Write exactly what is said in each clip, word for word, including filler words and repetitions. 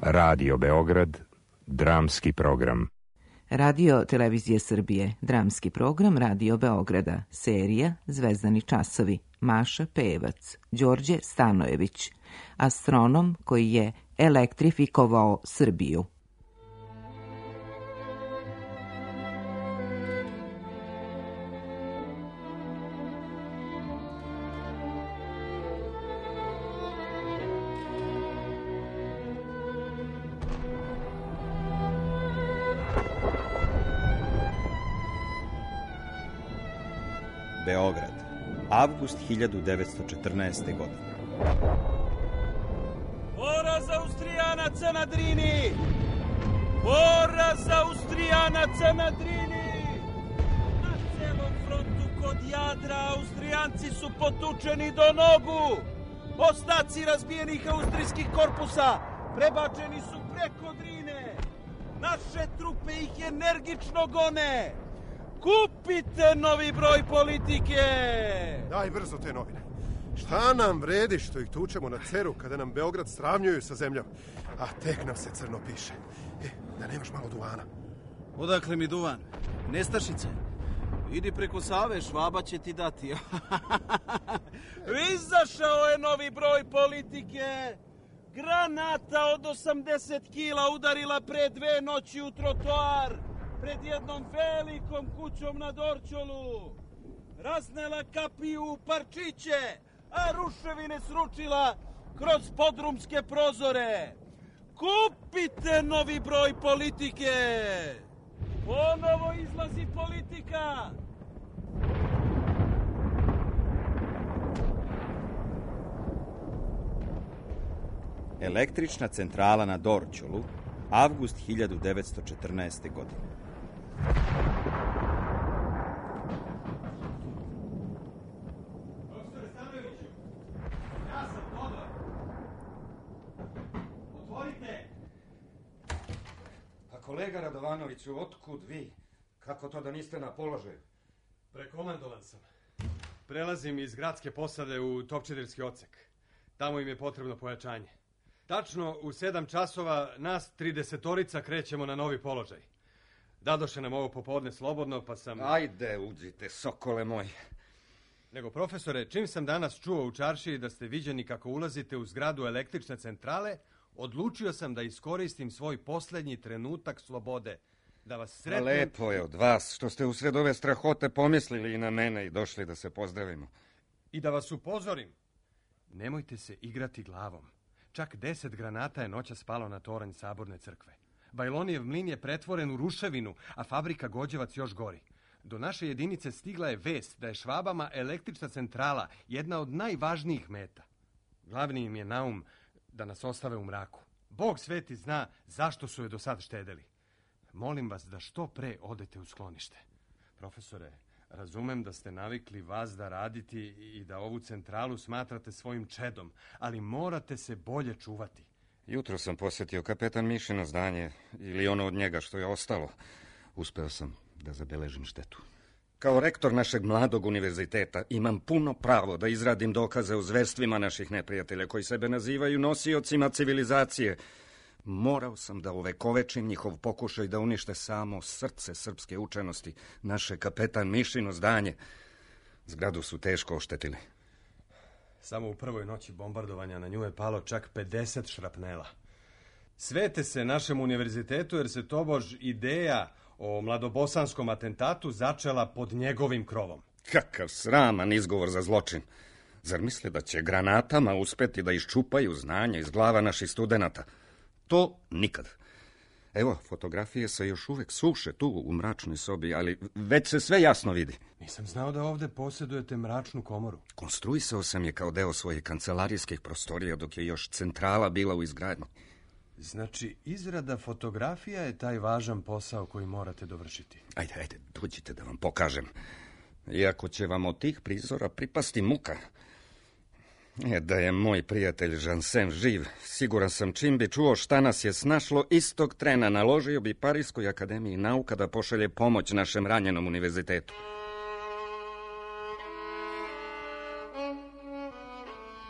Radio Beograd, dramski program. Radio Televizije Srbije, dramski program Radio Beograda, serija Zvezdani časovi, Maša Pevac, Đorđe Stanojević, astronom koji je elektrifikovao Srbiju. Beograd, avgust hiljadu devetsto četrnaeste. godine. Poraz Austrijanaca na Drini! Poraz Austrijanaca na Drini! Na celom frontu kod Jadra Austrijanci su potučeni do nogu! Ostaci razbijenih austrijskih korpusa prebačeni su preko Drine! Naše trupe ih energično gone! Kupite novi broj Politike! Daj brzo te novine. Šta nam vredi što ih tučemo na ceru kada nam Beograd sravnjuju sa zemljom, a tek nam se crno piše. E, da nemaš malo duvana. Odakle mi duvan? Nestašice. Idi preko Save, Švaba će ti dati. Izašao je novi broj Politike. Granata od osamdeset kila udarila pre dve noći u trotoar pred jednom velikom kućom na Dorćolu. Raznela kapiju u parčiće, a ruševine sručila kroz podrumske prozore. Kupite novi broj Politike! Ponovo izlazi Politika! Električna centrala na Dorćolu, avgust hiljadu devetsto četrnaeste. godine. Doktore Stanojeviću, ja sam Todor. Otvorite! A kolega Radovanoviću, otkud vi? Kako to da niste na položaju? Prekomandovan sam. Prelazim iz gradske posade u Topčiderski odsek. Tamo im je potrebno pojačanje. Tačno u sedam časova nas tridesetorica krećemo na novi položaj. Dadoše nam ovo popodne slobodno, pa sam... Ajde, uđite, sokole moj. Nego, profesore, čim sam danas čuo u čaršiji da ste viđeni kako ulazite u zgradu električne centrale, odlučio sam da iskoristim svoj posljednji trenutak slobode. Da vas sretnem... Lepo je od vas što ste usred ove strahote pomislili i na mene i došli da se pozdravimo. I da vas upozorim. Nemojte se igrati glavom. Čak deset granata je noća spalo na toranj Saborne crkve. Bajlonijev mlin je pretvoren u ruševinu, a fabrika Gođevac još gori. Do naše jedinice stigla je vest da je Švabama električna centrala jedna od najvažnijih meta. Glavni im je naum da nas ostave u mraku. Bog sveti zna zašto su je do sad štedeli. Molim vas da što pre odete u sklonište. Profesore, razumem da ste navikli vas da raditi i da ovu centralu smatrate svojim čedom, ali morate se bolje čuvati. Jutro sam posjetio kapetan Mišino zdanje, ili ono od njega što je ostalo. Uspeo sam da zabeležim štetu. Kao rektor našeg mladog univerziteta imam puno pravo da izradim dokaze o zverstvima naših neprijatelja koji sebe nazivaju nosiocima civilizacije. Morao sam da uvekovečim njihov pokušaj da unište samo srce srpske učenosti, naše kapetan Mišino zdanje. Zgradu su teško oštetili. Samo u prvoj noći bombardovanja na nju je palo čak pedeset šrapnela. Svete se našem univerzitetu jer se tobož ideja o mladobosanskom atentatu začela pod njegovim krovom. Kakav sraman izgovor za zločin. Zar misle da će granatama uspeti da iščupaju znanje iz glava naših studenata? To nikad. Evo, fotografije se još uvek suše tu u mračnoj sobi, ali već se sve jasno vidi. Nisam znao da ovde posjedujete mračnu komoru. Konstruisao sam je kao deo svojih kancelarijskih prostorija dok je još centrala bila u izgradnji. Znači, izrada fotografija je taj važan posao koji morate dovršiti. Ajde, ajde, dođite da vam pokažem. Iako će vam od tih prizora pripasti muka. E, da je moj prijatelj Jansen živ, siguran sam čim bi čuo šta nas je snašlo, istog trena naložio bi Parijskoj akademiji nauka da pošalje pomoć našem ranjenom univerzitetu.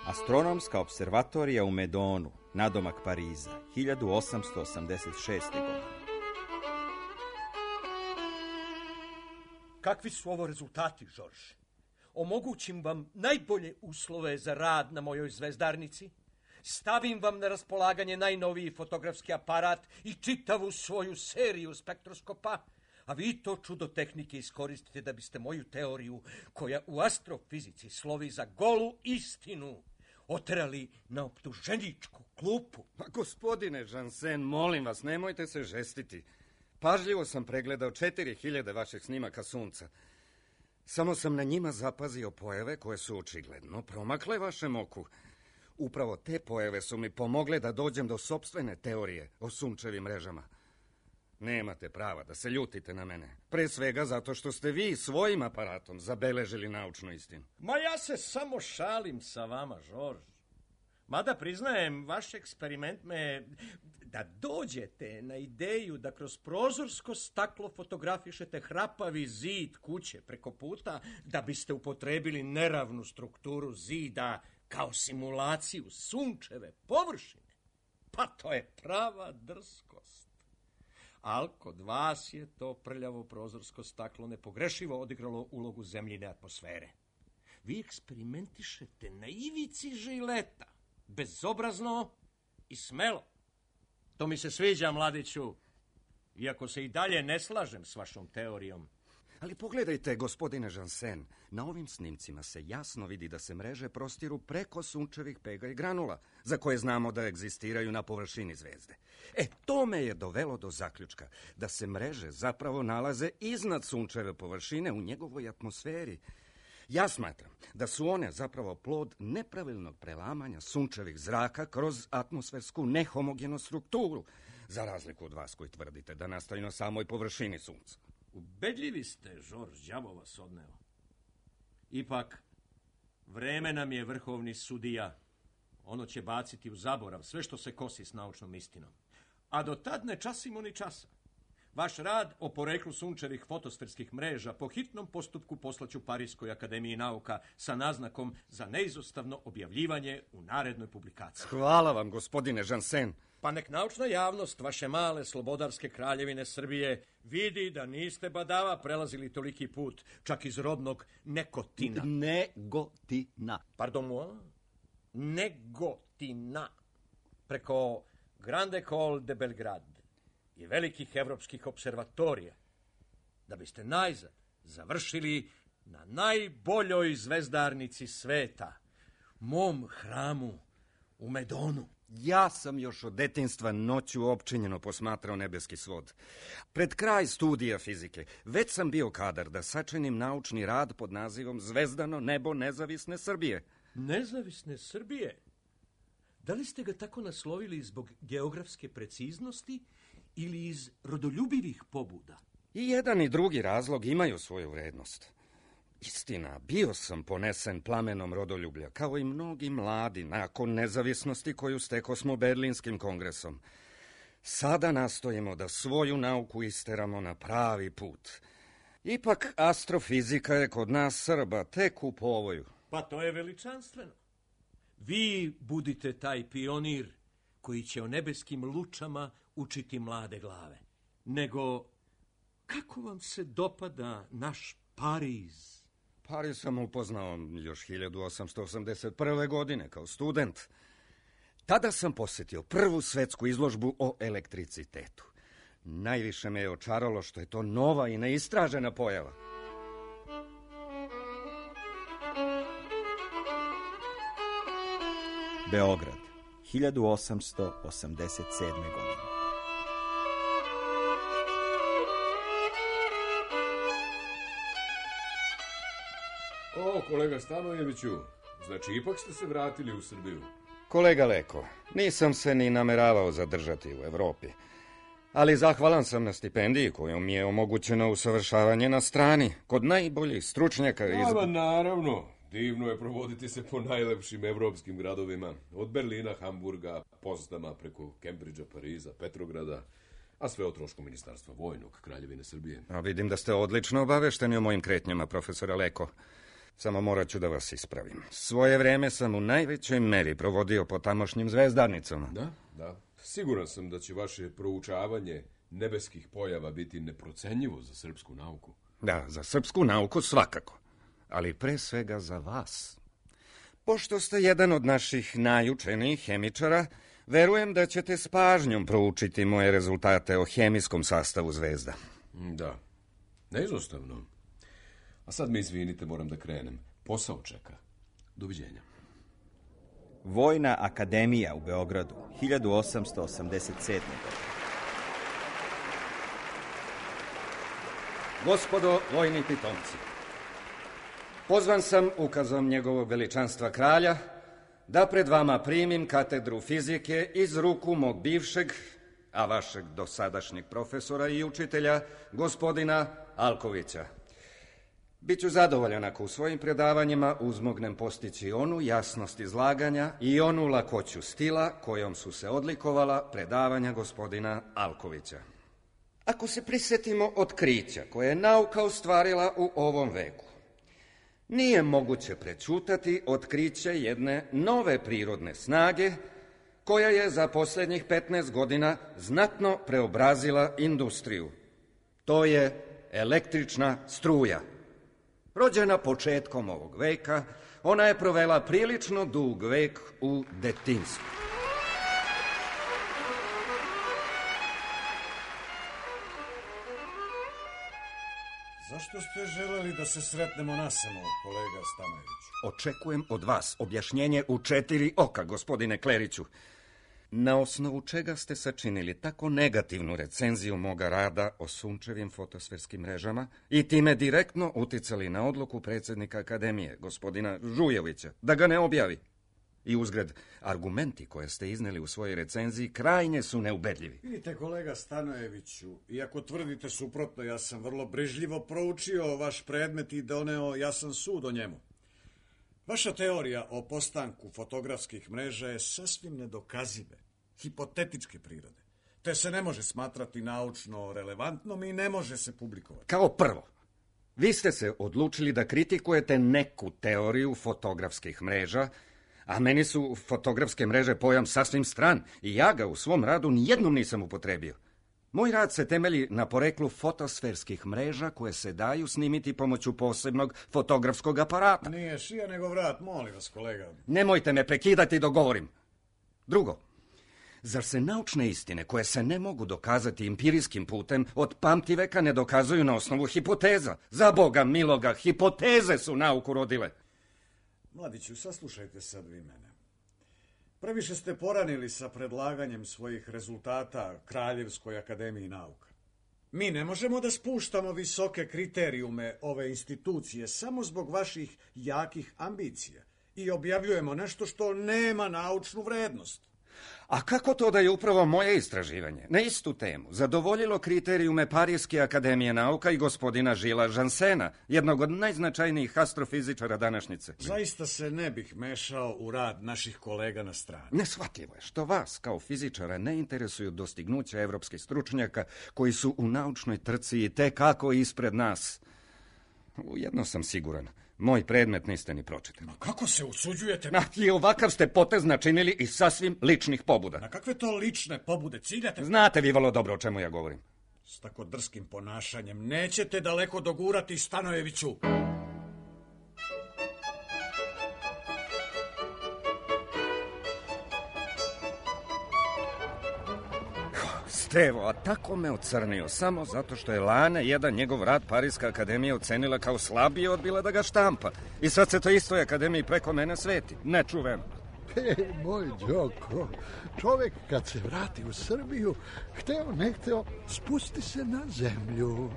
Astronomska observatorija u Medonu, nadomak Pariza, hiljadu osamsto osamdeset šeste. godine. Kakvi su ovo rezultati, Žorž? Omogućim vam najbolje uslove za rad na mojoj zvezdarnici, stavim vam na raspolaganje najnoviji fotografski aparat i čitavu svoju seriju spektroskopa, a vi to čudo tehnike iskoristite da biste moju teoriju, koja u astrofizici slovi za golu istinu, oterali na optuženičku klupu. Pa gospodine Jansen, molim vas, nemojte se žestiti. Pažljivo sam pregledao četiri hiljade vaših snimaka sunca. Samo sam na njima zapazio pojave koje su očigledno promakle vašem oku. Upravo te pojave su mi pomogle da dođem do sopstvene teorije o sunčevim mrežama. Nemate prava da se ljutite na mene. Pre svega zato što ste vi svojim aparatom zabeležili naučnu istinu. Ma ja se samo šalim sa vama, Žorž. Mada priznajem, vaš eksperiment me... Da dođete na ideju da kroz prozorsko staklo fotografišete hrapavi zid kuće preko puta, da biste upotrebili neravnu strukturu zida kao simulaciju sunčeve površine. Pa to je prava drskost. Al kod vas je to prljavo prozorsko staklo nepogrešivo odigralo ulogu zemljine atmosfere. Vi eksperimentišete na ivici žileta, bezobrazno i smelo. To mi se sviđa, mladiću, iako se i dalje ne slažem s vašom teorijom. Ali pogledajte, gospodine Jansen, na ovim snimcima se jasno vidi da se mreže prostiru preko sunčevih pega i granula, za koje znamo da egzistiraju na površini zvezde. E, to me je dovelo do zaključka da se mreže zapravo nalaze iznad sunčeve površine u njegovoj atmosferi. Ja smatram da su one zapravo plod nepravilnog prelamanja sunčevih zraka kroz atmosfersku nehomogenu strukturu, za razliku od vas koji tvrdite da nastaju na samoj površini sunca. Ubedljivi ste, Žorž, đavo vas odneo. Ipak, vreme nam je vrhovni sudija. Ono će baciti u zaborav sve što se kosi s naučnom istinom. A do tad ne časimo ni časa. Vaš rad o poreklu sunčevih fotosferskih mreža po hitnom postupku poslaću Parijskoj akademiji nauka sa naznakom za neizostavno objavljivanje u narednoj publikaciji. Hvala vam, gospodine Jansen. Pa nek naučna javnost vaše male slobodarske kraljevine Srbije vidi da niste badava prelazili toliki put, čak iz rodnog Nekotina. Negotina. Pardon moi? Negotina. Preko Grande École de Belgrade i velikih evropskih observatorija, da biste najzad završili na najboljoj zvezdarnici sveta, mom hramu u Medonu. Ja sam još od detinjstva noću opčinjeno posmatrao nebeski svod. Pred kraj studija fizike već sam bio kadar da sačinim naučni rad pod nazivom Zvezdano nebo nezavisne Srbije. Nezavisne Srbije? Da li ste ga tako naslovili zbog geografske preciznosti ili iz rodoljubivih pobuda? I jedan i drugi razlog imaju svoju vrednost. Istina, bio sam ponesen plamenom rodoljublja, kao i mnogi mladi, nakon nezavisnosti koju stekosmo Berlinskim kongresom. Sada nastojimo da svoju nauku isteramo na pravi put. Ipak astrofizika je kod nas Srba tek u povoju. Pa to je veličanstveno. Vi budite taj pionir koji će o nebeskim lučama učiti mlade glave. Nego, kako vam se dopada naš Pariz? Pariz sam upoznao još hiljadu osamsto osamdeset prve. godine kao student. Tada sam posjetio prvu svetsku izložbu o elektricitetu. Najviše me je očaralo što je to nova i neistražena pojava. Beograd, hiljadu osamsto osamdeset sedme. godine. O, kolega Stanojeviću, znači ipak ste se vratili u Srbiju. Kolega Leko, nisam se ni nameravao zadržati u Evropi, ali zahvalan sam na stipendiji kojom mi je omogućeno usavršavanje na strani, kod najboljih stručnjaka iz... Ava, naravno, divno je provoditi se po najlepšim evropskim gradovima, od Berlina, Hamburga, Potsdama, preko Kembridža, Pariza, Petrograda, a sve o trošku Ministarstva vojnog Kraljevine Srbije. A vidim da ste odlično obavešteni o mojim kretnjama, profesora Leko. Samo morat ću da vas ispravim. Svoje vreme sam u najvećoj meri provodio po tamošnjim zvezdarnicama. Da, da. Siguran sam da će vaše proučavanje nebeskih pojava biti neprocenjivo za srpsku nauku. Da, za srpsku nauku svakako, ali pre svega za vas. Pošto ste jedan od naših najučenijih hemičara, verujem da ćete s pažnjom proučiti moje rezultate o hemijskom sastavu zvezda. Da, neizostavno. A sad mi izvinite, moram da krenem. Posao čeka. Doviđenja. Vojna akademija u Beogradu, hiljadu osamsto osamdeset sedme. Gospodo vojni pitomci, pozvan sam ukazom njegovog veličanstva kralja da pred vama primim katedru fizike iz ruku mog bivšeg, a vašeg dosadašnjeg profesora i učitelja, gospodina Alkovića. Biću zadovoljan ako u svojim predavanjima uzmognem postići onu jasnost izlaganja i onu lakoću stila kojom su se odlikovala predavanja gospodina Alkovića. Ako se prisjetimo otkrića koje je nauka ostvarila u ovom veku, nije moguće prećutati otkriće jedne nove prirodne snage koja je za posljednjih petnaest godina znatno preobrazila industriju. To je električna struja. Rođena početkom ovog veka, ona je provela prilično dug vek u detinjstvu. Zašto ste želeli da se sretnemo nasamo, kolega Stanojević? Očekujem od vas objašnjenje u četiri oka, gospodine Kleriću. Na osnovu čega ste sačinili tako negativnu recenziju moga rada o sunčevim fotosferskim mrežama i time direktno uticali na odluku predsjednika Akademije, gospodina Žujevića, da ga ne objavi? I uzgred, argumenti koje ste izneli u svojoj recenziji krajnje su neubedljivi. Vidite, kolega Stanojeviću, iako tvrdite suprotno, ja sam vrlo brižljivo proučio vaš predmet i doneo jasan sud o njemu. Vaša teorija o postanku fotografskih mreža je sasvim nedokazive, hipotetičke prirode, te se ne može smatrati naučno relevantnom i ne može se publikovati. Kao prvo, vi ste se odlučili da kritikujete neku teoriju fotografskih mreža, a meni su fotografske mreže pojam sasvim stran i ja ga u svom radu nijednom nisam upotrebio. Moj rad se temelji na poreklu fotosferskih mreža koje se daju snimiti pomoću posebnog fotografskog aparata. Nije šija nego vrat, molim vas, kolega. Nemojte me prekidati dok govorim. Drugo, zar se naučne istine koje se ne mogu dokazati empirijskim putem od pamtiveka ne dokazuju na osnovu hipoteza? Za Boga miloga, hipoteze su nauku rodile. Mladiću, saslušajte sad vi mene. Previše ste poranili sa predlaganjem svojih rezultata Kraljevskoj akademiji nauka. Mi ne možemo da spuštamo visoke kriterijume ove institucije samo zbog vaših jakih ambicija i objavljujemo nešto što nema naučnu vrednost. A kako to da je upravo moje istraživanje na istu temu zadovoljilo kriterijume Parijske akademije nauka i gospodina Žila Žansena, jednog od najznačajnijih astrofizičara današnjice? Zaista se ne bih mešao u rad naših kolega na strani. Neshvatljivo je što vas, kao fizičara, ne interesuju dostignuća evropskih stručnjaka koji su u naučnoj trci i te kako ispred nas. Ujedno sam siguran. Moj predmet niste ni pročitali. Ma kako se usuđujete? Na, i ovakav ste potez načinili iz sasvim ličnih pobuda. Na kakve to lične pobude ciljate? Znate vi vrlo dobro o čemu ja govorim. S tako drskim ponašanjem nećete daleko dogurati, Stanojeviću. Stevo, a tako me ocrnio samo zato što je lane jedan njegov rad Parijska akademija ocenila kao slabiji i odbila da ga štampa. I sad se to istoj akademiji preko mene sveti. Nečuveno. E, moj Đoko, čovek kad se vrati u Srbiju, hteo ne hteo, spusti se na zemlju.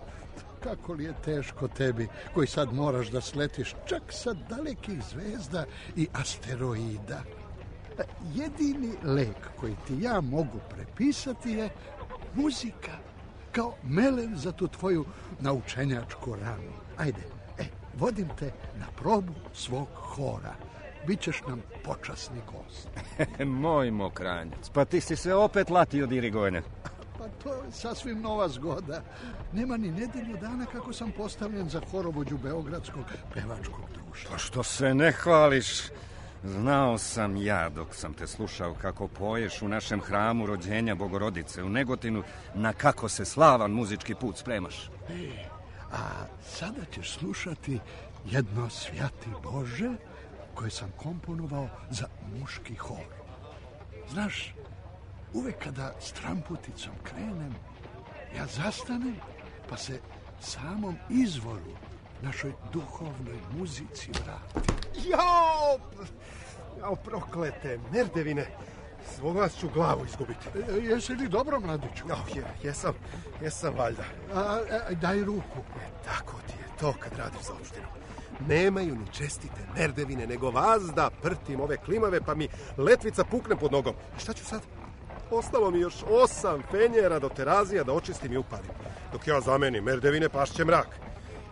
Kako li je teško tebi, koji sad moraš da sletiš čak sa dalekih zvezda i asteroida. Jedini lek koji ti ja mogu prepisati je muzika, kao melem za tu tvoju naučenjačku ranu. Ajde, e, vodim te na probu svog hora. Bićeš nam počasni gost. Moj mokranjac, pa ti si se opet latio dirigovanja. Pa to je sasvim nova zgoda. Nema ni nedelju dana kako sam postavljen za horovođu Beogradskog pevačkog društva. Pa što se ne hvališ? Znao sam ja dok sam te slušao kako poješ u našem hramu rođenja Bogorodice u Negotinu na kako se slavan muzički put spremaš. E, a sada ćeš slušati jedno Svjati Bože koje sam komponovao za muški hor. Znaš, uvek kada s tramputicom krenem, ja zastanem pa se samom izvoru našoj duhovnoj muzici vratim. Jao! Jao, proklete merdevine. Svog vas ću glavu izgubiti. E, jesi li dobro, mladiću? Jao, je, jesam, jesam valjda. A, a, daj ruku. E, tako ti je to kad radiš za opštinu. Nemaju ni čestite merdevine, nego vas da prtim ove klimave, pa mi letvica pukne pod nogom. A šta ću sad? Ostalo mi još osam fenjera do terazija da očistim i upalim. Dok ja zamenim merdevine, pašće mrak.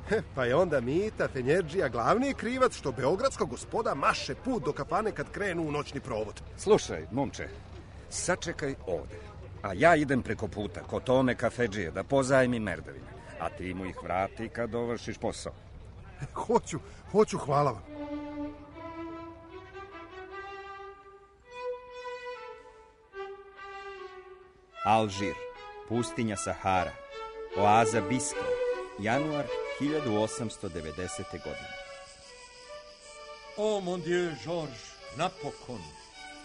He, pa je onda Mita Fenjerđija glavni krivac što beogradska gospoda maše put do kafane kad krenu u noćni provod. Slušaj, momče, sačekaj ovde, a ja idem preko puta kod Tome kafedžije da pozajmim merdevine, a ti mu ih vrati kad dovršiš posao. Hoću, hoću, hvala vam. Alžir, pustinja Sahara, oaza Biskra, januar hiljadu osamsto devedesete. godine. O, mon Dieu, Georges, napokon,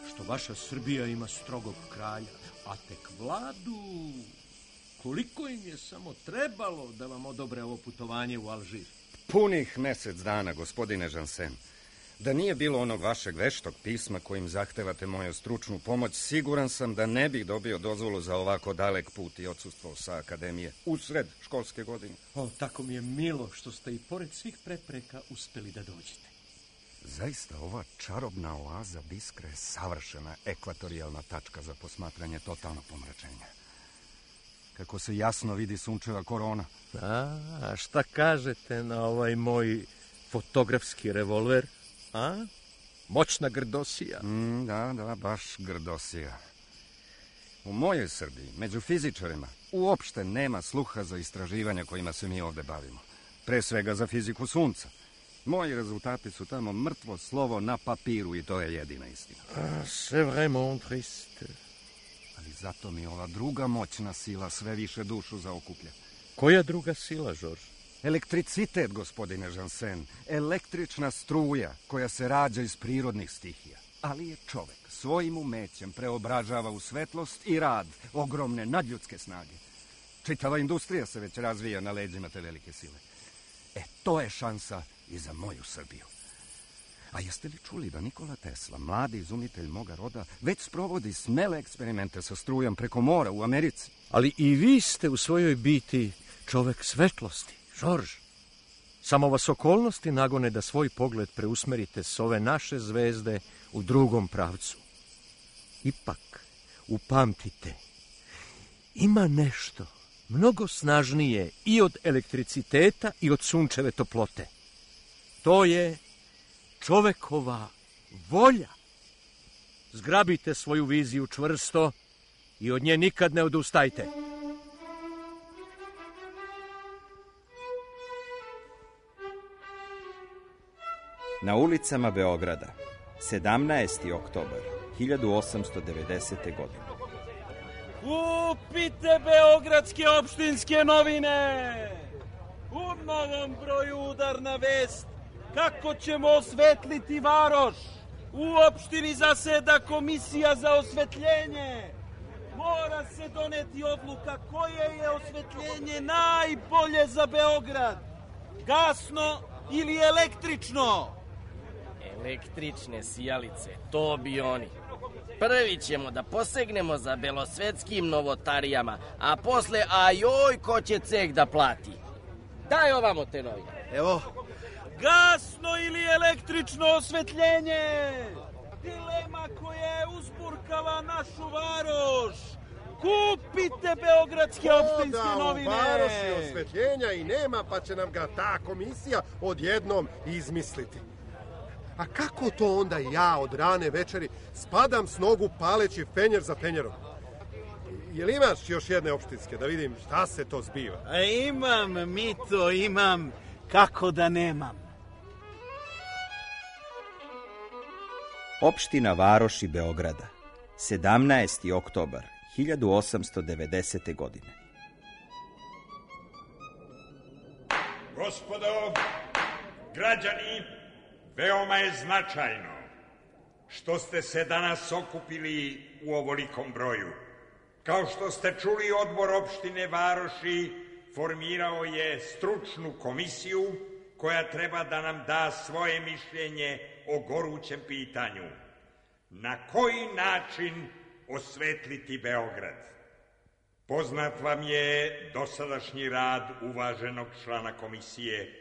što vaša Srbija ima strogog kralja, a tek vladu. Koliko im je samo trebalo da vam odobre ovo putovanje u Alžir? Punih mesec dana, gospodine Jansen. Da nije bilo onog vašeg veštog pisma kojim zahtevate moju stručnu pomoć, siguran sam da ne bih dobio dozvolu za ovako dalek put i odsustvo sa akademije usred školske godine. O, tako mi je milo što ste i pored svih prepreka uspeli da dođete. Zaista ova čarobna oaza Biskra je savršena ekvatorijalna tačka za posmatranje totalnog pomračenja. Kako se jasno vidi sunčeva korona. A, a šta kažete na ovaj moj fotografski revolver? A? Moćna grdosija. Mm, da, da, baš grdosija. U mojoj Srbiji, među fizičarima, uopšte nema sluha za istraživanja kojima se mi ovde bavimo. Pre svega za fiziku sunca. Moji rezultati su tamo mrtvo slovo na papiru i to je jedina istina. Ah, c'est vraiment triste. Ali zato mi ova druga moćna sila sve više dušu zaokuplja. Koja druga sila, Georges? Elektricitet, gospodine Jansen. Električna struja koja se rađa iz prirodnih stihija. Ali je čovek svojim umećem preobražava u svetlost i rad ogromne nadljudske snage. Čitava industrija se već razvija na leđima te velike sile. E, to je šansa i za moju Srbiju. A jeste li čuli da Nikola Tesla, mladi izumitelj moga roda, već sprovodi smele eksperimente sa strujom preko mora u Americi? Ali i vi ste u svojoj biti čovek svetlosti, Georges. Samo vas okolnosti nagone da svoj pogled preusmerite s ove naše zvezde u drugom pravcu. Ipak, upamtite, ima nešto mnogo snažnije i od elektriciteta i od sunčeve toplote. To je čovekova volja. Zgrabite svoju viziju čvrsto i od nje nikad ne odustajte. Na ulicama Beograda, sedamnaesti oktobar hiljadu osamsto devedesete. godine. Kupite beogradske opštinske novine! U novom broju udarna vest kako ćemo osvetliti varoš. U opštini zaseda komisija za osvetljenje. Mora se doneti odluka koje je osvetljenje najbolje za Beograd. Gasno ili električno? Električne sijalice, to bi oni. Prvi ćemo da posegnemo za belosvetskim novotarijama, a posle, ajoj, ko će ceh da plati. Daj ovamo te novine. Evo. Gasno ili električno osvetljenje? Dilema koja je uzburkala našu varoš. Kupite beogradske opštinske novine. O da, u varoši osvetljenja i nema, pa će nam ga ta komisija odjednom izmisliti. A kako to onda ja od rane večeri spadam s nogu paleći fenjer za fenjerom? jel imaš još jedne opštinske, da vidim šta se to zbiva? A imam, Mito, imam. Kako da nemam? Opština Varoši Beograda, sedamnaesti oktobar hiljadu osamsto devedesete. godine. Gospodo, građani, veoma je značajno što ste se danas okupili u ovolikom broju. Kao što ste čuli, odbor opštine Varoši formirao je stručnu komisiju koja treba da nam da svoje mišljenje o gorućem pitanju. Na koji način osvetliti Beograd? Poznat vam je dosadašnji rad uvaženog člana komisije,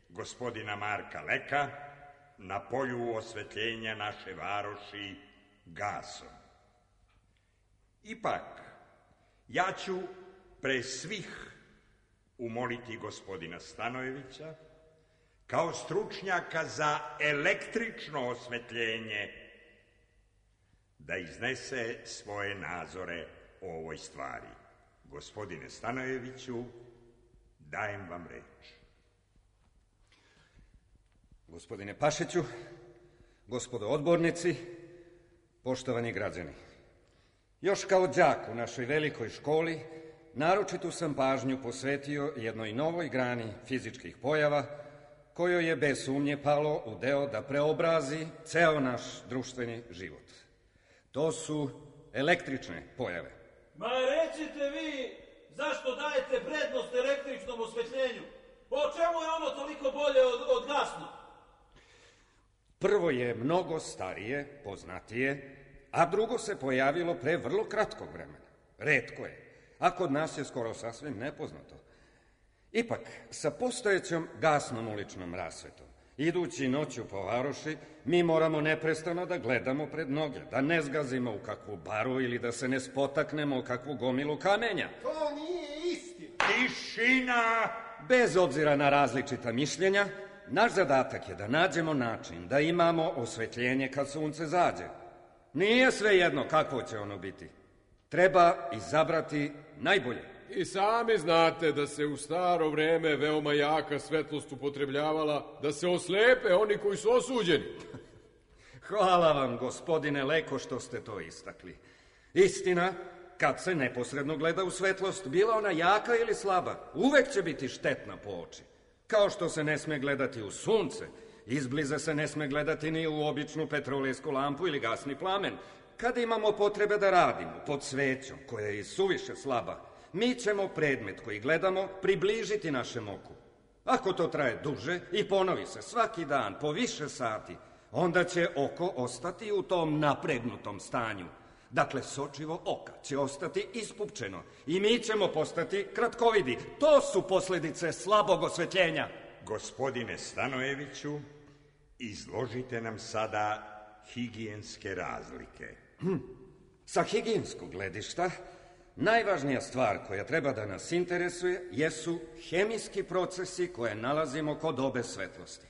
gospodina Marka Leka, na polju osvetljenja naše Varoši gasom. Ipak, ja ću pre svih umoliti gospodina Stanojevića, kao stručnjaka za električno osvetljenje, da iznese svoje nazore o ovoj stvari. Gospodine Stanojeviću, dajem vam reč. Gospodine Pašiću, gospodo odbornici, poštovani građani. Još kao đak u našoj velikoj školi, naročitu sam pažnju posvetio jednoj novoj grani fizičkih pojava, kojoj je bez sumnje palo u deo da preobrazi ceo naš društveni život. To su električne pojave. Ma recite vi, zašto dajete prednost električnom osvetljenju? Po čemu je ono toliko bolje od, od gasnog? Prvo je mnogo starije, poznatije, a drugo se pojavilo pre vrlo kratkog vremena. Retko je, a kod nas je skoro sasvim nepoznato. Ipak, sa postojećom gasnom uličnom rasvetom, idući noću po Varoši, mi moramo neprestano da gledamo pred noge, da ne zgazimo u kakvu baru ili da se ne spotaknemo u kakvu gomilu kamenja. To nije istina. Tišina! Bez obzira na različita mišljenja, naš zadatak je da nađemo način da imamo osvetljenje kad sunce zađe. Nije svejedno kakvo će ono biti. Treba izabrati najbolje. I sami znate da se u staro vreme veoma jaka svetlost upotrebljavala da se oslepe oni koji su osuđeni. Hvala vam, gospodine Leko, što ste to istakli. Istina, kad se neposredno gleda u svetlost, bila ona jaka ili slaba, uvek će biti štetna po oči. Kao što se ne sme gledati u sunce, izbliza se ne sme gledati ni u običnu petrolejsku lampu ili gasni plamen. Kada imamo potrebe da radimo pod svećom, koja je suviše slaba, mi ćemo predmet koji gledamo približiti našem oku. Ako to traje duže i ponovi se svaki dan po više sati, onda će oko ostati u tom napregnutom stanju. Dakle, sočivo oka će ostati ispupčeno i mi ćemo postati kratkovidi. To su posledice slabog osvetljenja. Gospodine Stanojeviću, izložite nam sada higijenske razlike. Hm. Sa higijenskog gledišta, najvažnija stvar koja treba da nas interesuje jesu hemijski procesi koje nalazimo kod obe svetlosti.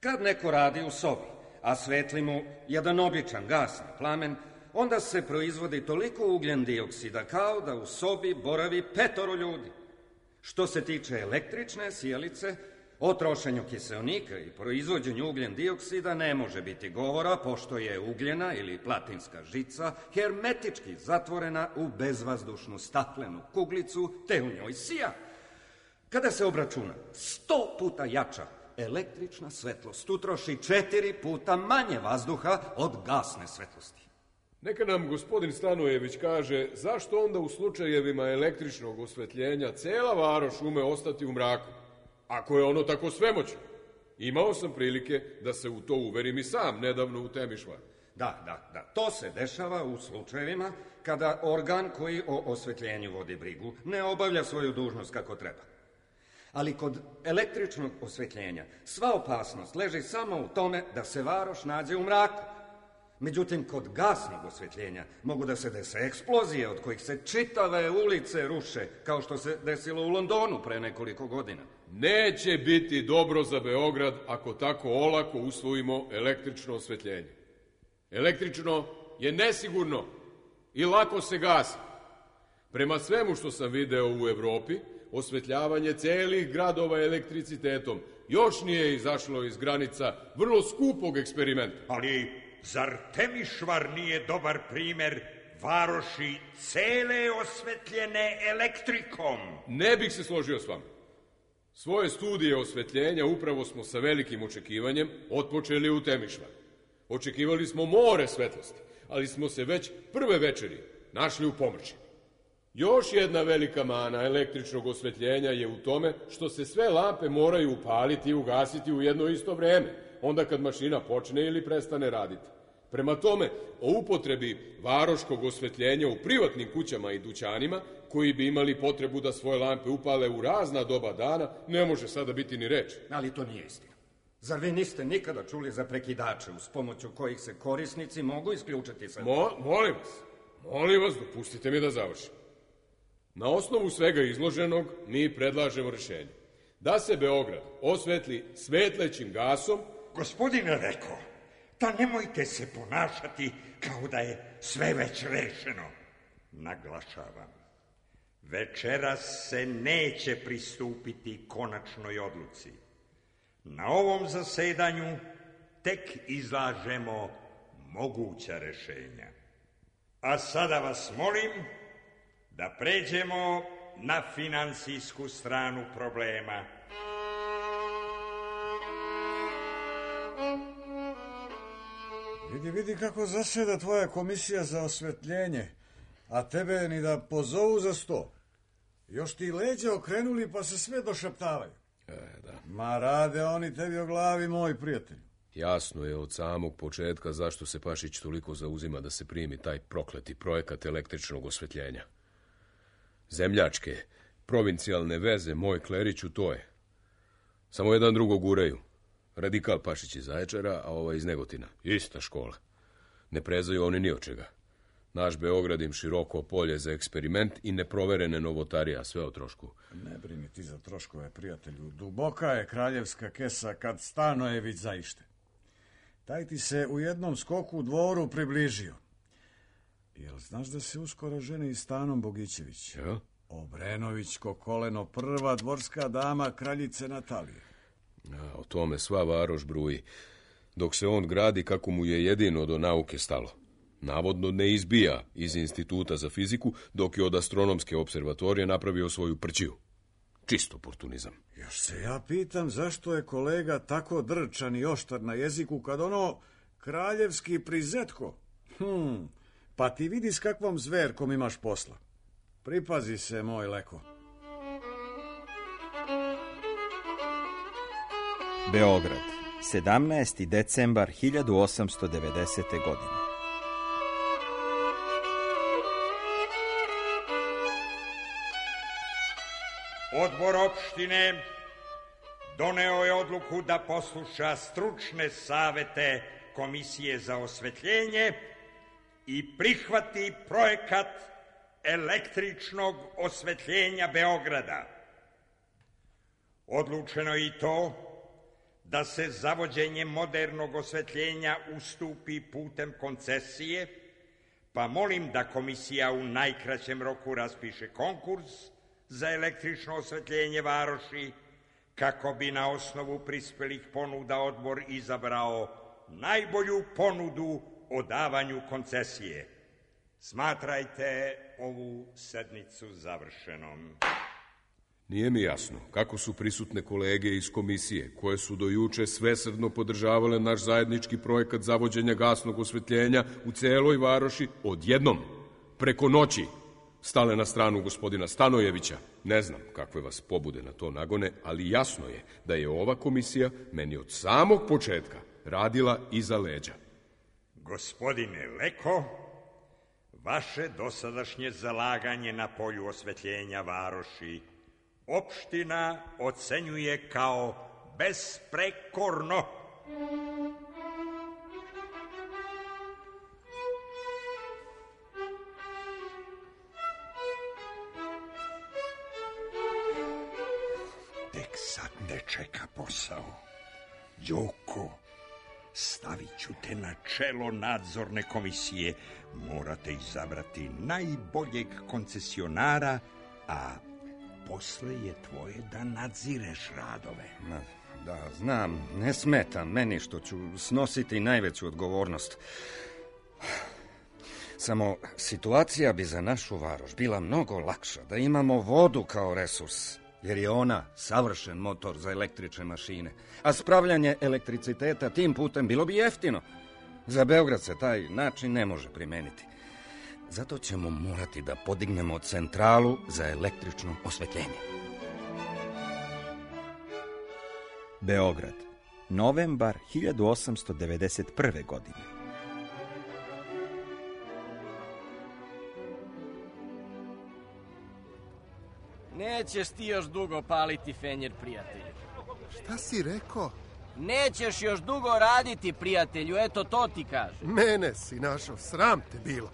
Kad neko radi u sobi, a svetli mu jedan običan gasni plamen, onda se proizvodi toliko ugljen dioksida kao da u sobi boravi petoro ljudi. Što se tiče električne sijalice, o trošenju kiseonika i proizvođenju ugljen dioksida ne može biti govora, pošto je ugljena ili platinska žica hermetički zatvorena u bezvazdušnu staklenu kuglicu, te u njoj sija. Kada se obračuna sto puta jača električna svetlost utroši četiri puta manje vazduha od gasne svetlosti. Neka nam gospodin Stanojević kaže zašto onda u slučajevima električnog osvetljenja cela Varoš ume ostati u mraku, ako je ono tako svemoćno. Imao sam prilike da se u to uverim i sam nedavno u Temišvaru. Da, da, da. To se dešava u slučajevima kada organ koji o osvetljenju vodi brigu ne obavlja svoju dužnost kako treba. Ali kod električnog osvetljenja sva opasnost leži samo u tome da se Varoš nađe u mraku. Međutim, kod gasnog osvetljenja mogu da se dese eksplozije od kojih se čitave ulice ruše, kao što se desilo u Londonu pre nekoliko godina. Neće biti dobro za Beograd ako tako olako usvojimo električno osvetljenje. Električno je nesigurno i lako se gasi. Prema svemu što sam video u Evropi, osvetljavanje celih gradova elektricitetom još nije izašlo iz granica vrlo skupog eksperimenta. Ali zar Temišvar nije dobar primer varoši cele osvetljene elektrikom? Ne bih se složio s vama. Svoje studije osvetljenja upravo smo sa velikim očekivanjem otpočeli u Temišvar. Očekivali smo more svetlosti, ali smo se već prve večeri našli u pomrčini. Još jedna velika mana električnog osvetljenja je u tome što se sve lampe moraju upaliti i ugasiti u jedno isto vreme, onda kad mašina počne ili prestane raditi. Prema tome, o upotrebi varoškog osvetljenja u privatnim kućama i dućanima, koji bi imali potrebu da svoje lampe upale u razna doba dana, ne može sada biti ni reč. Ali to nije istina. Zar vi niste nikada čuli za prekidače uz pomoću kojih se korisnici mogu isključiti sa... Mo, molim vas, molim vas, dopustite mi da završim. Na osnovu svega izloženog mi predlažemo rešenje. Da se Beograd osvetli svetlećim gasom... Gospodine Leko, da nemojte se ponašati kao da je sve već rešeno. Naglašavam, večeras se neće pristupiti konačnoj odluci. Na ovom zasedanju tek izlažemo moguća rešenja. A sada vas molim da pređemo na finansijsku stranu problema. Vidi, vidi kako zaseda tvoja komisija za osvetljenje, a tebe ni da pozovu za sto. Još ti leđa okrenuli pa se sve došaptavaju. E, da. Ma rade oni tebi o glavi, moj prijatelj. Jasno je od samog početka zašto se Pašić toliko zauzima da se primi taj prokleti projekat električnog osvetljenja. Zemljačke, provincijalne veze, moj Kleriću, to je. Samo jedan drugo guraju. Radikal Pašić iz Zaječara, a ovaj iz Negotina. Ista škola. Ne prezaju oni ni od čega. Naš Beograd im široko polje za eksperiment i neproverene novotarije, a sve o trošku. Ne brini ti za troškove, prijatelju. Duboka je kraljevska kesa kad Stanojević zaište. Taj ti se u jednom skoku u dvoru približio. Jel znaš da se uskoro ženi i Stanom Bogićević? Ja? Obrenovićko koleno, prva dvorska dama kraljice Natalije. A, o tome sva varoš bruji. Dok se on gradi kako mu je jedino do nauke stalo. Navodno ne izbija iz instituta za fiziku, dok je od astronomske observatorije napravio svoju prćiju. Čisto oportunizam. Još se ja pitam zašto je kolega tako drčan i oštar na jeziku kad ono kraljevski prizetko. Hm, pa ti vidi s kakvom zverkom imaš posla. Pripazi se, moj Leko. Beograd, sedamnaesti decembar hiljadu osamsto devedesete. godine. Odbor opštine doneo je odluku da posluša stručne savete Komisije za osvetljenje i prihvati projekat električnog osvetljenja Beograda. Odlučeno je i to da se zavođenje modernog osvetljenja ustupi putem koncesije, pa molim da komisija u najkraćem roku raspiše konkurs za električno osvetljenje varoši, kako bi na osnovu prispelih ponuda odbor izabrao najbolju ponudu o davanju koncesije. Smatrajte ovu sednicu završenom. Nije mi jasno kako su prisutne kolege iz komisije, koje su do juče svesrdno podržavale naš zajednički projekat zavođenja gasnog osvetljenja u celoj varoši, odjednom, preko noći, stale na stranu gospodina Stanojevića. Ne znam kakve vas pobude na to nagone, ali jasno je da je ova komisija meni od samog početka radila iza leđa. Gospodine Leko, vaše dosadašnje zalaganje na polju osvetljenja varoši opština ocenjuje kao besprekorno. Tek sad ne čeka posao. Đoko, stavit ću te na čelo nadzorne komisije. Morate izabrati najboljeg koncesionara, a posle je tvoje da nadzireš radove. Ma, da, znam, ne smeta meni što ću snositi najveću odgovornost. Samo situacija bi za našu varoš bila mnogo lakša da imamo vodu kao resurs, jer je ona savršen motor za električne mašine, a spravljanje elektriciteta tim putem bilo bi jeftino. Za Beograd se taj način ne može primeniti. Zato ćemo morati da podignemo centralu za električno osvetljenje. Beograd, novembar hiljadu osamsto devedeset prve. godine. Nećeš ti još dugo paliti fenjer, prijatelju. Šta si rekao? Nećeš još dugo raditi, prijatelju, eto to ti kaže. Mene si našao, sram te bilo.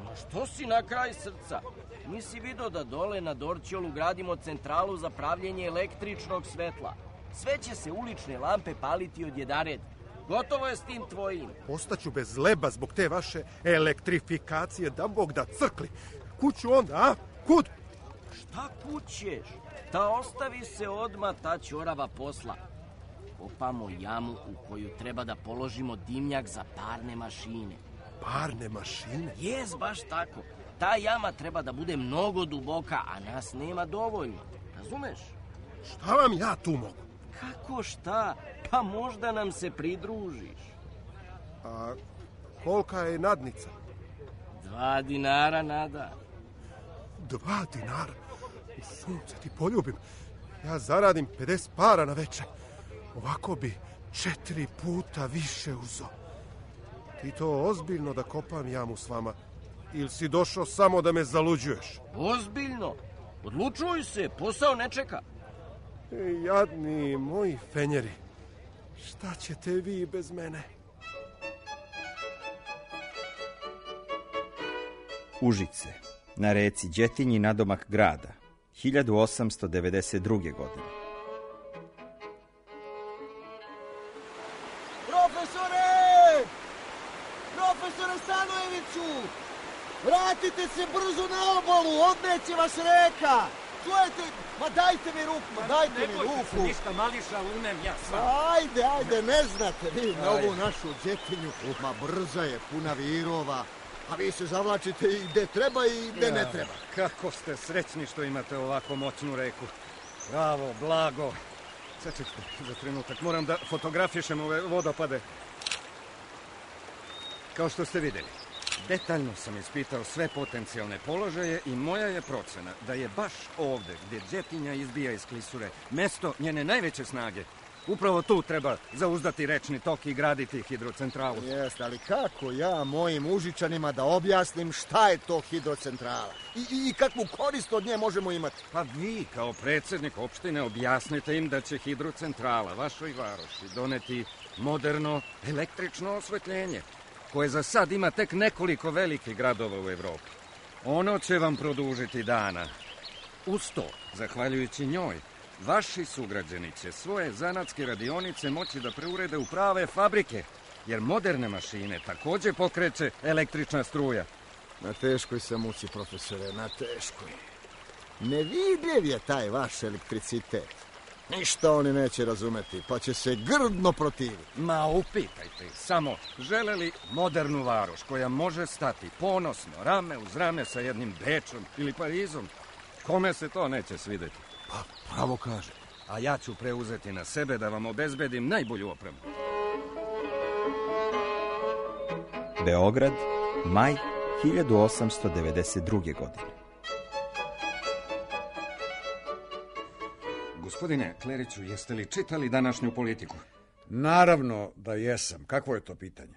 Ma što si na kraj srca? Nisi vidio da dole na Dorćolu gradimo centralu za pravljenje električnog svetla. Sve će se ulične lampe paliti od jedared. Gotovo je s tim tvojim. Ostaću bez leba zbog te vaše elektrifikacije, da Bog da crkli. Kuću onda, a? Kud? Šta kućeš? Ta ostavi se odmah ta ćorava posla. Kopamo jamu u koju treba da položimo dimnjak za parne mašine. Parne mašine? Jes, baš tako. Ta jama treba da bude mnogo duboka, a nas nema dovoljno. Razumeš? Šta vam ja tu mogu? Kako šta? Pa možda nam se pridružiš. A kolika je nadnica? Dva dinara, Nada. Dva dinara? U sunce ti poljubim. Ja zaradim pedeset para na večer. Ovako bi četiri puta više uzo. Ti to ozbiljno da kopam jamu s vama? Ili si došao samo da me zaluđuješ? Ozbiljno? Odlučuj se, posao ne čeka. Ej, jadni moji fenjeri, šta ćete vi bez mene? Užice, na reci Đetinji nadomak grada, hiljadu osamsto devedeset druge. godine. Profesore! Profesore Stanojeviću! Vratite se brzo na obalu, odneće vas reka! Čujete? Ma dajte mi ruku, ma dajte mi ruku! Ne bojte se ništa, mališa, umem ja sam. Ajde, ajde, ne znate vi na ovu našu Đetinju. Ma brza je, puna virova. A vi se zavlačite i gde treba i gde ne treba. Kako ste srećni što imate ovako moćnu reku. Bravo, blago. Sačekajte za trenutak, moram da fotografišem ove vodopade. Kao što ste vidjeli, detaljno sam ispitao sve potencijalne položaje i moja je procena da je baš ovde gdje Đetinja izbija iz klisure mesto njene najveće snage. Upravo tu treba zauzdati rečni tok i graditi hidrocentralu. Jeste, ali kako ja mojim Užičanima da objasnim šta je to hidrocentrala? I, i, i kakvu korist od nje možemo imati? Pa vi, kao predsjednik opštine, objasnite im da će hidrocentrala vašoj varoši doneti moderno električno osvetljenje, koje za sad ima tek nekoliko velikih gradova u Evropi. Ono će vam produžiti dana. Uz to, zahvaljujući njoj, vaši sugrađani će svoje zanatske radionice moći da preurede u prave fabrike, jer moderne mašine također pokreće električna struja. Na teškoj sam muci, profesore, na teškoj. Nevidljiv je taj vaš elektricitet. Ništa oni neće razumeti, pa će se grdno protiviti. Ma upitajte ih samo, žele li modernu varoš koja može stati ponosno, rame uz rame sa jednim Bečom ili Parizom? Kome se to neće svidjeti? Pa, pravo kaže. A ja ću preuzeti na sebe da vam obezbedim najbolju opremu. Beograd, maj hiljadu osamsto devedeset druge. godine. Gospodine Kleriću, jeste li čitali današnju Politiku? Naravno da jesam. Kakvo je to pitanje?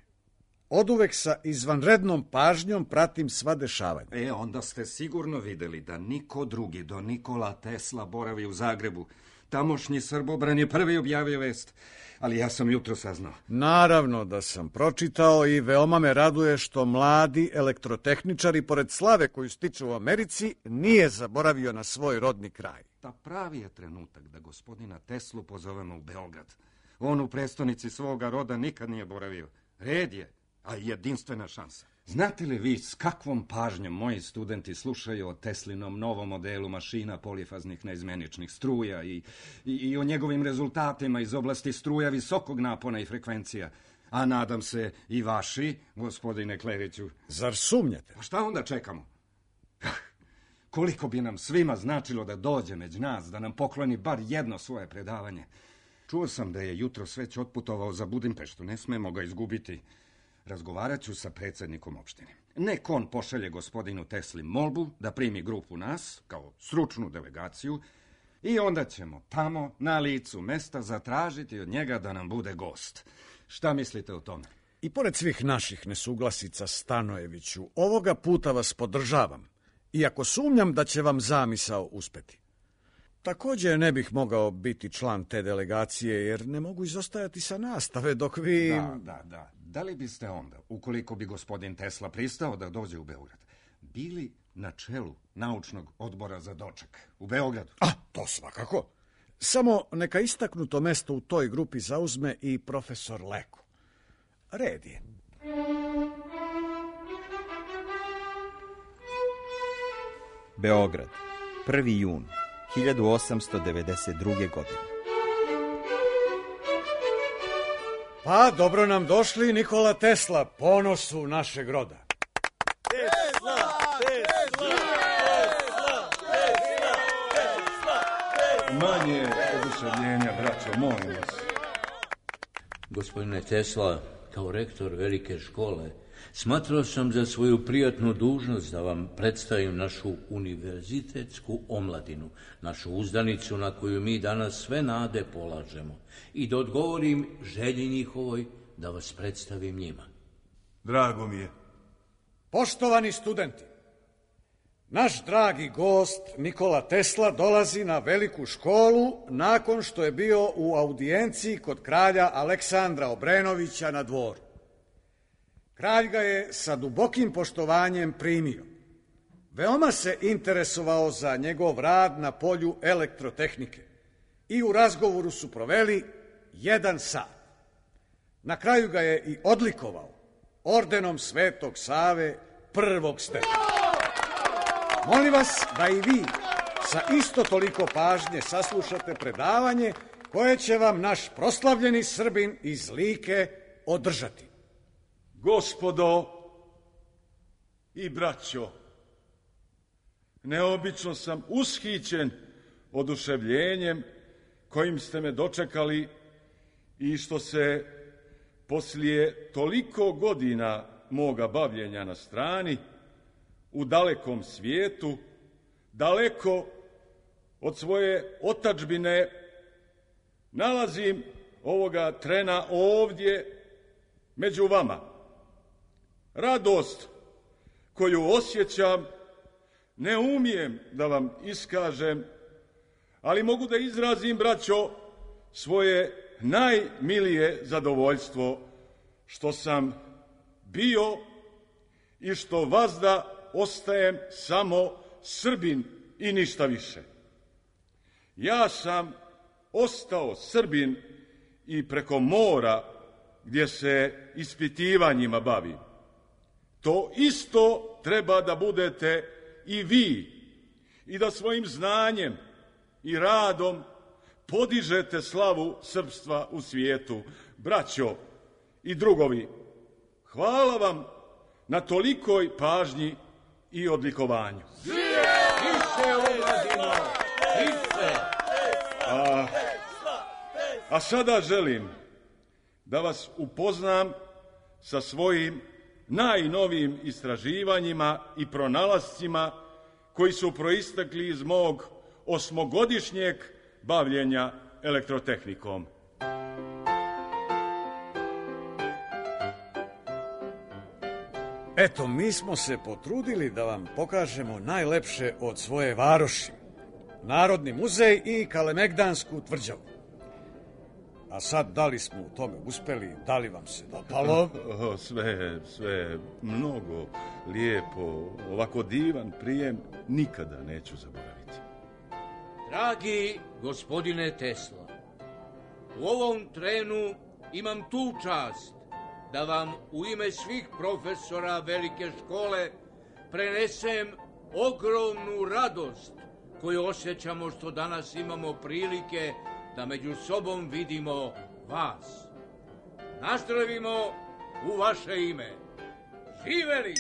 Oduvek sa izvanrednom pažnjom pratim sva dešavanja. E, onda ste sigurno vidjeli da niko drugi do Nikola Tesla boravi u Zagrebu. Tamošnji Srbobran je prvi objavio vest, ali ja sam jutro saznao. Naravno da sam pročitao i veoma me raduje što mladi elektrotehničari, pored slave koju stiču u Americi, nije zaboravio na svoj rodni kraj. Ta pravi je trenutak da gospodina Teslu pozovemo u Beograd. On u prestonici svoga roda nikad nije boravio. Red je, a jedinstvena šansa. Znate li vi s kakvom pažnjom moji studenti slušaju o Teslinom novom modelu mašina polifaznih neizmeničnih struja i, i, i o njegovim rezultatima iz oblasti struja visokog napona i frekvencija? A nadam se i vaši, gospodine Kleriću. Zar sumnjate? A šta onda čekamo? Koliko bi nam svima značilo da dođe među nas, da nam pokloni bar jedno svoje predavanje. Čuo sam da je jutro već otputovao za Budimpeštu, ne smemo ga izgubiti. Razgovarat ću sa predsjednikom opštine. Nek on pošalje gospodinu Tesli molbu da primi grupu nas, kao stručnu delegaciju, i onda ćemo tamo, na licu mesta, zatražiti od njega da nam bude gost. Šta mislite o tome? I pored svih naših nesuglasica, Stanojeviću, ovoga puta vas podržavam, iako sumnjam da će vam zamisao uspeti. Također ne bih mogao biti član te delegacije, jer ne mogu izostajati sa nastave dok vi... Da, da, da. Da li biste onda, ukoliko bi gospodin Tesla pristao da dođe u Beograd, bili na čelu naučnog odbora za doček u Beogradu? A, to svakako. Samo neka istaknuto mesto u toj grupi zauzme i profesor Leko. Red je. Beograd, prvi jun hiljadu osamsto devedeset druge. godine. Pa, dobro nam došli, Nikola Tesla, ponosu našeg roda. Tesla! Tesla! Tesla! Tesla! Tesla! Manje oduševljenja, braćo, molim vas. Gospodine Tesla, kao rektor velike škole, smatrao sam za svoju prijatnu dužnost da vam predstavim našu univerzitetsku omladinu, našu uzdanicu na koju mi danas sve nade polažemo, i da odgovorim želji njihovoj da vas predstavim njima. Drago mi je. Poštovani studenti, naš dragi gost Nikola Tesla dolazi na veliku školu nakon što je bio u audijenciji kod kralja Aleksandra Obrenovića na dvoru. Kralj ga je sa dubokim poštovanjem primio. Veoma se interesovao za njegov rad na polju elektrotehnike i u razgovoru su proveli jedan sat. Na kraju ga je i odlikovao ordenom Svetog Save prvog stepena. Molim vas da i vi sa isto toliko pažnje saslušate predavanje koje će vam naš proslavljeni Srbin iz Like održati. Gospodo i braćo, neobično sam ushićen oduševljenjem kojim ste me dočekali i što se poslije toliko godina moga bavljenja na strani, u dalekom svijetu, daleko od svoje otadžbine, nalazim ovoga trena ovdje među vama. Radost koju osjećam ne umijem da vam iskažem, ali mogu da izrazim, braćo, svoje najmilije zadovoljstvo što sam bio i što vazda ostajem samo Srbin i ništa više. Ja sam ostao Srbin i preko mora gdje se ispitivanjima bavim. To isto treba da budete i vi i da svojim znanjem i radom podižete slavu srpstva u svijetu. Braćo i drugovi, hvala vam na tolikoj pažnji i odlikovanju. Više omladino! Više! A, a sada želim da vas upoznam sa svojim najnovijim istraživanjima i pronalascima koji su proistekli iz mog osmogodišnjeg bavljenja elektrotehnikom. Eto, mi smo se potrudili da vam pokažemo najlepše od svoje varoši. Narodni muzej i Kalemegdansku tvrđavu. A sad, da li smo u tome uspeli, da li vam se dopalo? Sve, sve, mnogo lijepo, ovako divan prijem nikada neću zaboraviti. Dragi gospodine Tesla, U ovom trenu imam tu čast da vam u ime svih profesora velike škole prenesem ogromnu radost koju osjećamo što danas imamo prilike da među sobom vidimo vas. Nazdravimo u vaše ime. Živeli!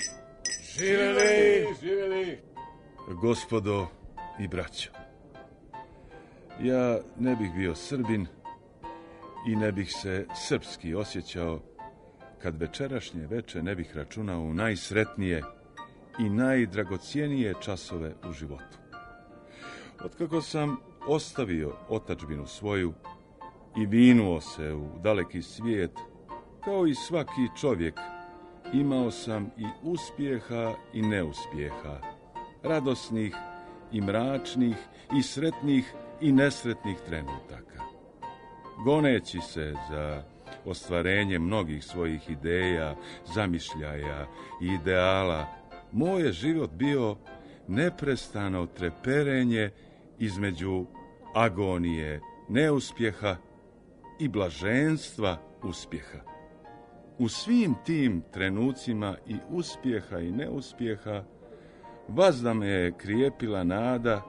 Živeli! Živeli! Gospodo i braćo, ja ne bih bio Srbin i ne bih se srpski osjećao kad večerašnje veče ne bih računao u najsretnije i najdragocijenije časove u životu. Otkako sam ostavio otadžbinu svoju i vinuo se u daleki svijet, kao i svaki čovjek, imao sam i uspjeha i neuspjeha, radosnih i mračnih i sretnih i nesretnih trenutaka. Goneći se za ostvarenje mnogih svojih ideja, zamišljaja i ideala, moj je život bio neprestano treperenje između agonije neuspjeha i blaženstva uspjeha. U svim tim trenucima i uspjeha i neuspjeha vazda me je krijepila nada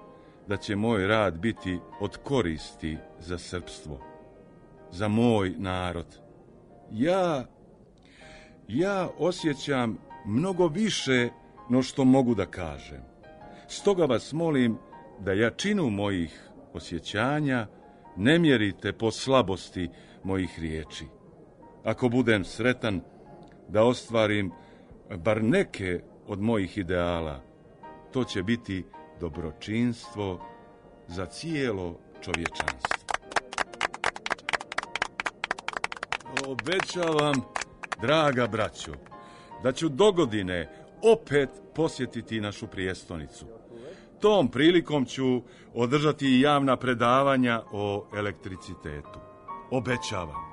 da će moj rad biti od koristi za srpstvo, za moj narod. Ja, ja osjećam mnogo više no što mogu da kažem. Stoga vas molim da jačinu mojih osjećanja ne mjerite po slabosti mojih riječi. Ako budem sretan da ostvarim bar neke od mojih ideala, to će biti dobročinstvo za cijelo čovječanstvo. Obećavam, draga braćo, da ću dogodine opet posjetiti našu prijestolnicu. Tom prilikom ću održati i javna predavanja o elektricitetu. Obećavam.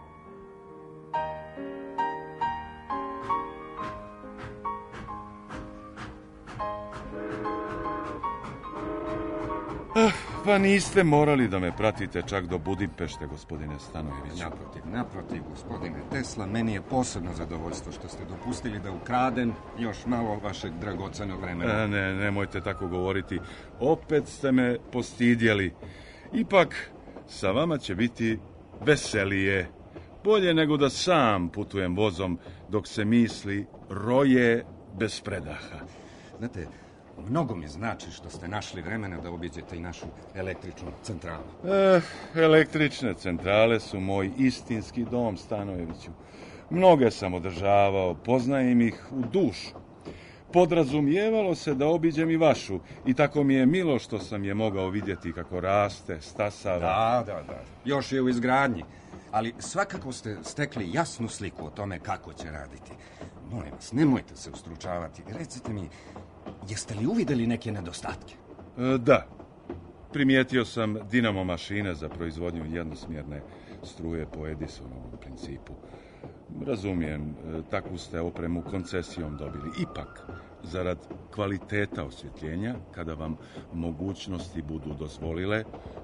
Ah, pa niste morali da me pratite čak do Budimpešte, gospodine Stanojeviću. Naprotiv, naprotiv, gospodine Tesla, meni je posebno zadovoljstvo što ste dopustili da ukradem još malo vašeg dragocenog vremena. A, ne, nemojte tako govoriti. Opet ste me postidjeli. Ipak, sa vama će biti veselije. Bolje nego da sam putujem vozom dok se misli roje bez predaha. Znate, mnogo mi znači što ste našli vremena da obiđete i našu električnu centralu. Eh, električne centrale su moj istinski dom, Stanojeviću. Mnoge sam održavao, poznajem ih u dušu. Podrazumijevalo se da obiđem i vašu i tako mi je milo što sam je mogao vidjeti kako raste, stasava. Da, da, da. Još je u izgradnji. Ali svakako ste stekli jasnu sliku o tome kako će raditi. Molim vas, nemojte se ustručavati. Recite mi, jeste li uvidjeli neke nedostatke? E, da. Primijetio sam dinamo mašine za proizvodnju jednosmjerne struje po Edisonovom principu. Razumijem, takvu ste opremu koncesijom dobili. Ipak, zarad kvaliteta osvjetljenja, kada vam mogućnosti budu dozvolile,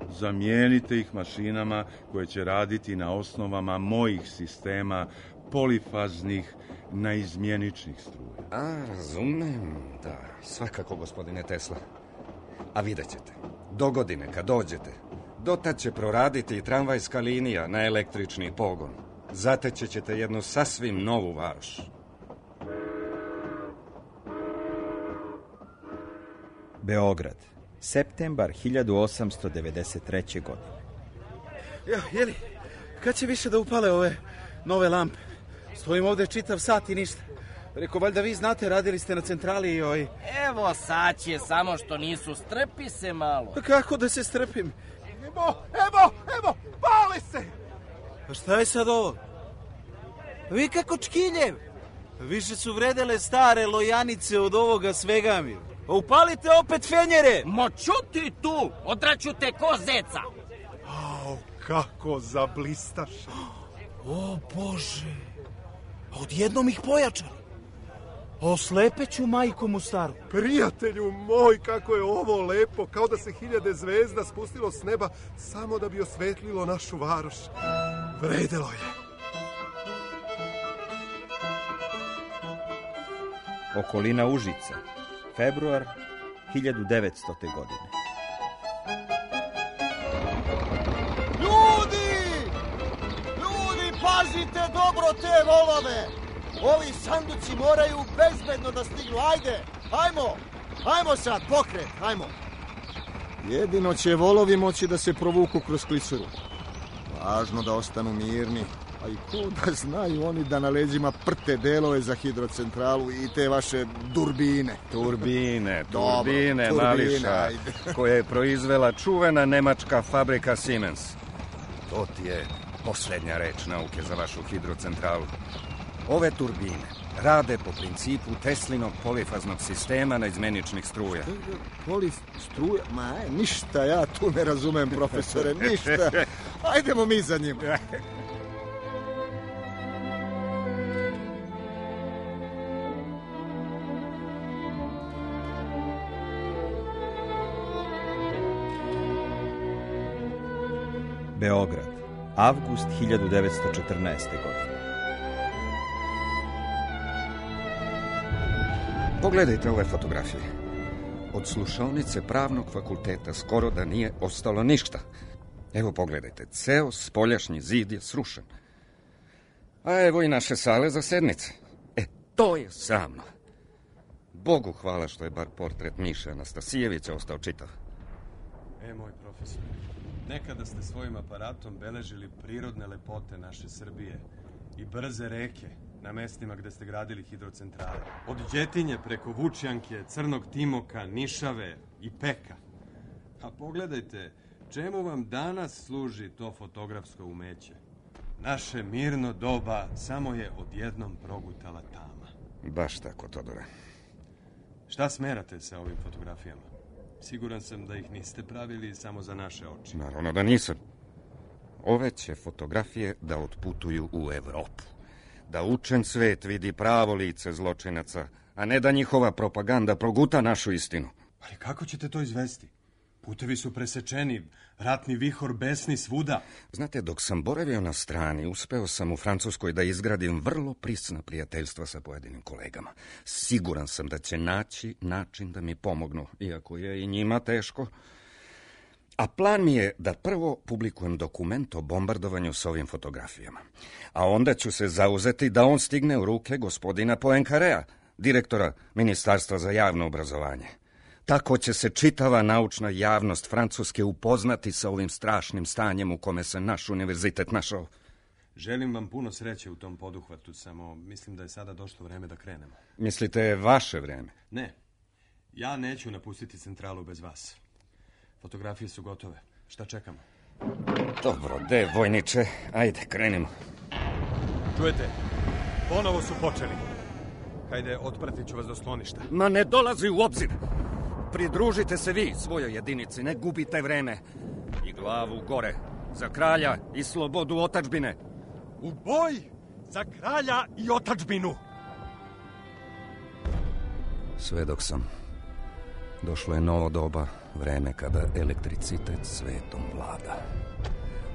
zamijenite ih mašinama koje će raditi na osnovama mojih sistema polifaznih naizmjeničnih struja. A, razumem, da, svakako, gospodine Tesla. A vidjet ćete, dogodine kad dođete, dotad će proraditi i tramvajska linija na električni pogon. Zateći ćete jednu sasvim novu Varoš. Beograd, septembar hiljadu osamsto devedeset treće. godine. Ja, jeli, kad će više da upale ove nove lampe? Stojim ovdje čitav sat i ništa. Reko, valjda vi znate, radili ste na centrali i oj... Evo sad će, samo što nisu, strpi se malo. Pa kako da se strpim? Evo, evo, evo, pali se! Pa šta je sad ovo? Vi kako čkiljev? Više su vredele stare lojanice od ovoga svega mi. Pa upalite opet fenjere! Mo čuti tu, odraću te ko zeca. Au, kako zablistaš. O Bože, odjednom ih pojačali. Oslepeću majku mu staru. Prijatelju moj, kako je ovo lepo, kao da se hiljade zvezda spustilo s neba samo da bi osvetlilo našu Varoš. Vredelo je. Okolina Užica, februar hiljadu devetstote. godine. Ljudi! Ljudi, pazite dobro te volove! Ovi sanduci moraju bezbedno da stignu. Ajde, ajmo! Ajmo sad, pokret, ajmo! Jedino će volovi moći da se provuku kroz klisuru. Važno da ostanu mirni. A i ko da znaju oni da na leđima prte delove za hidrocentralu i te vaše durbine. Turbine, Dobro, turbine, turbine, Mališa, ajde. koje je proizvela čuvena nemačka fabrika Siemens. To ti je posljednja reč nauke za vašu hidrocentralu. Ove turbine rade po principu Teslinog polifaznog sistema naizmeničnih struja. Polif struja? Ma, aj, ništa ja tu ne razumem, profesore, ništa. Ajdemo mi za njim. Beograd, avgust hiljadu devetsto četrnaeste. godine. Pogledajte ove fotografije. Od slušaonice pravnog fakulteta skoro da nije ostalo ništa. Evo pogledajte, ceo spoljašnji zid je srušen. A evo i naše sale za sednice. E, to je sramno. Bogu hvala što je bar portret Miše Anastasijevića ostao čitav. E, moj profesor, nekada ste svojim aparatom beležili prirodne lepote naše Srbije i brze reke na mestima gde ste gradili hidrocentrale. Od Đetinje preko Vučjanke, Crnog Timoka, Nišave i Peka. A pogledajte, čemu vam danas služi to fotografsko umeće? Naše mirno doba samo je odjednom progutala tama. Baš tako, Todore. Šta smerate sa ovim fotografijama? Siguran sam da ih niste pravili samo za naše oči. Naravno da nisam. Ove će fotografije da otputuju u Evropu. Da učen svet vidi pravo lice zločinaca, a ne da njihova propaganda proguta našu istinu. Ali kako ćete to izvesti? Putevi su presečeni, ratni vihor besni svuda. Znate, dok sam boravio na strani, uspeo sam u Francuskoj da izgradim vrlo prisna prijateljstva sa pojedinim kolegama. Siguran sam da će naći način da mi pomognu, iako je i njima teško. A plan mi je da prvo publikujem dokument o bombardovanju s ovim fotografijama. A onda ću se zauzeti da on stigne u ruke gospodina Poenkarea, direktora Ministarstva za javno obrazovanje. Tako će se čitava naučna javnost Francuske upoznati sa ovim strašnim stanjem u kome se naš univerzitet našao. Želim vam puno sreće u tom poduhvatu, samo mislim da je sada došlo vreme da krenemo. Mislite vaše vreme? Ne, ja neću napustiti centralu bez vas. Fotografije su gotove. Šta čekamo? Dobro, de, vojniče, ajde, krenimo. Čujete, ponovo su počeli. Hajde, otpratit ću vas do skloništa. Ma ne dolazi u obzir. Pridružite se vi svojoj jedinici, ne gubite vreme. I glavu gore, za kralja i slobodu otadžbine. U boj za kralja i otadžbinu! Svedok sam. Došlo je novo doba, vreme kada elektricitet svetom vlada.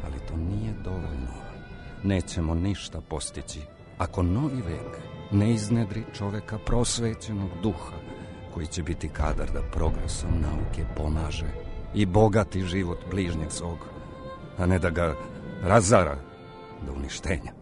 Ali to nije dovoljno. Nećemo ništa postići ako novi vek ne iznedri čoveka prosvećenog duha, koji će biti kadar da progresom nauke pomaže i bogati život bližnjeg svog, a ne da ga razara do uništenja.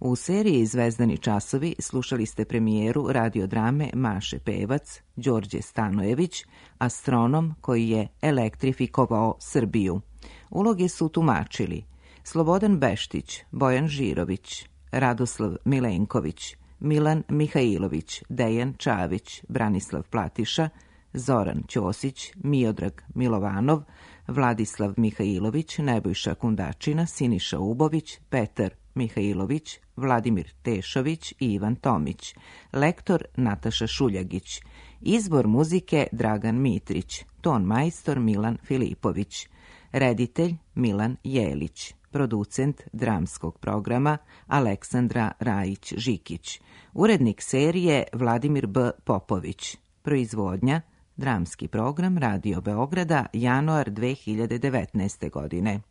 U seriji Zvezdani časovi slušali ste premijeru radiodrame Maše Pevac, Đorđe Stanojević, astronom koji je elektrifikovao Srbiju. Uloge su tumačili Slobodan Beštić, Bojan Žirović, Radoslav Milenković, Milan Mihajlović, Dejan Čavić, Branislav Platiša, Zoran Ćosić, Miodrag Milovanov, Vladislav Mihajlović, Nebojša Kundačina, Siniša Ubović, Petar Mihajlović, Vladimir Tešović i Ivan Tomić, lektor Nataša Šuljagić, izbor muzike Dragan Mitrić, ton majstor Milan Filipović, reditelj Milan Jelić, producent dramskog programa Aleksandra Rajić-Žikić, urednik serije Vladimir B. Popović, proizvodnja dramski program Radio Beograda, januar dve hiljade devetnaeste godine.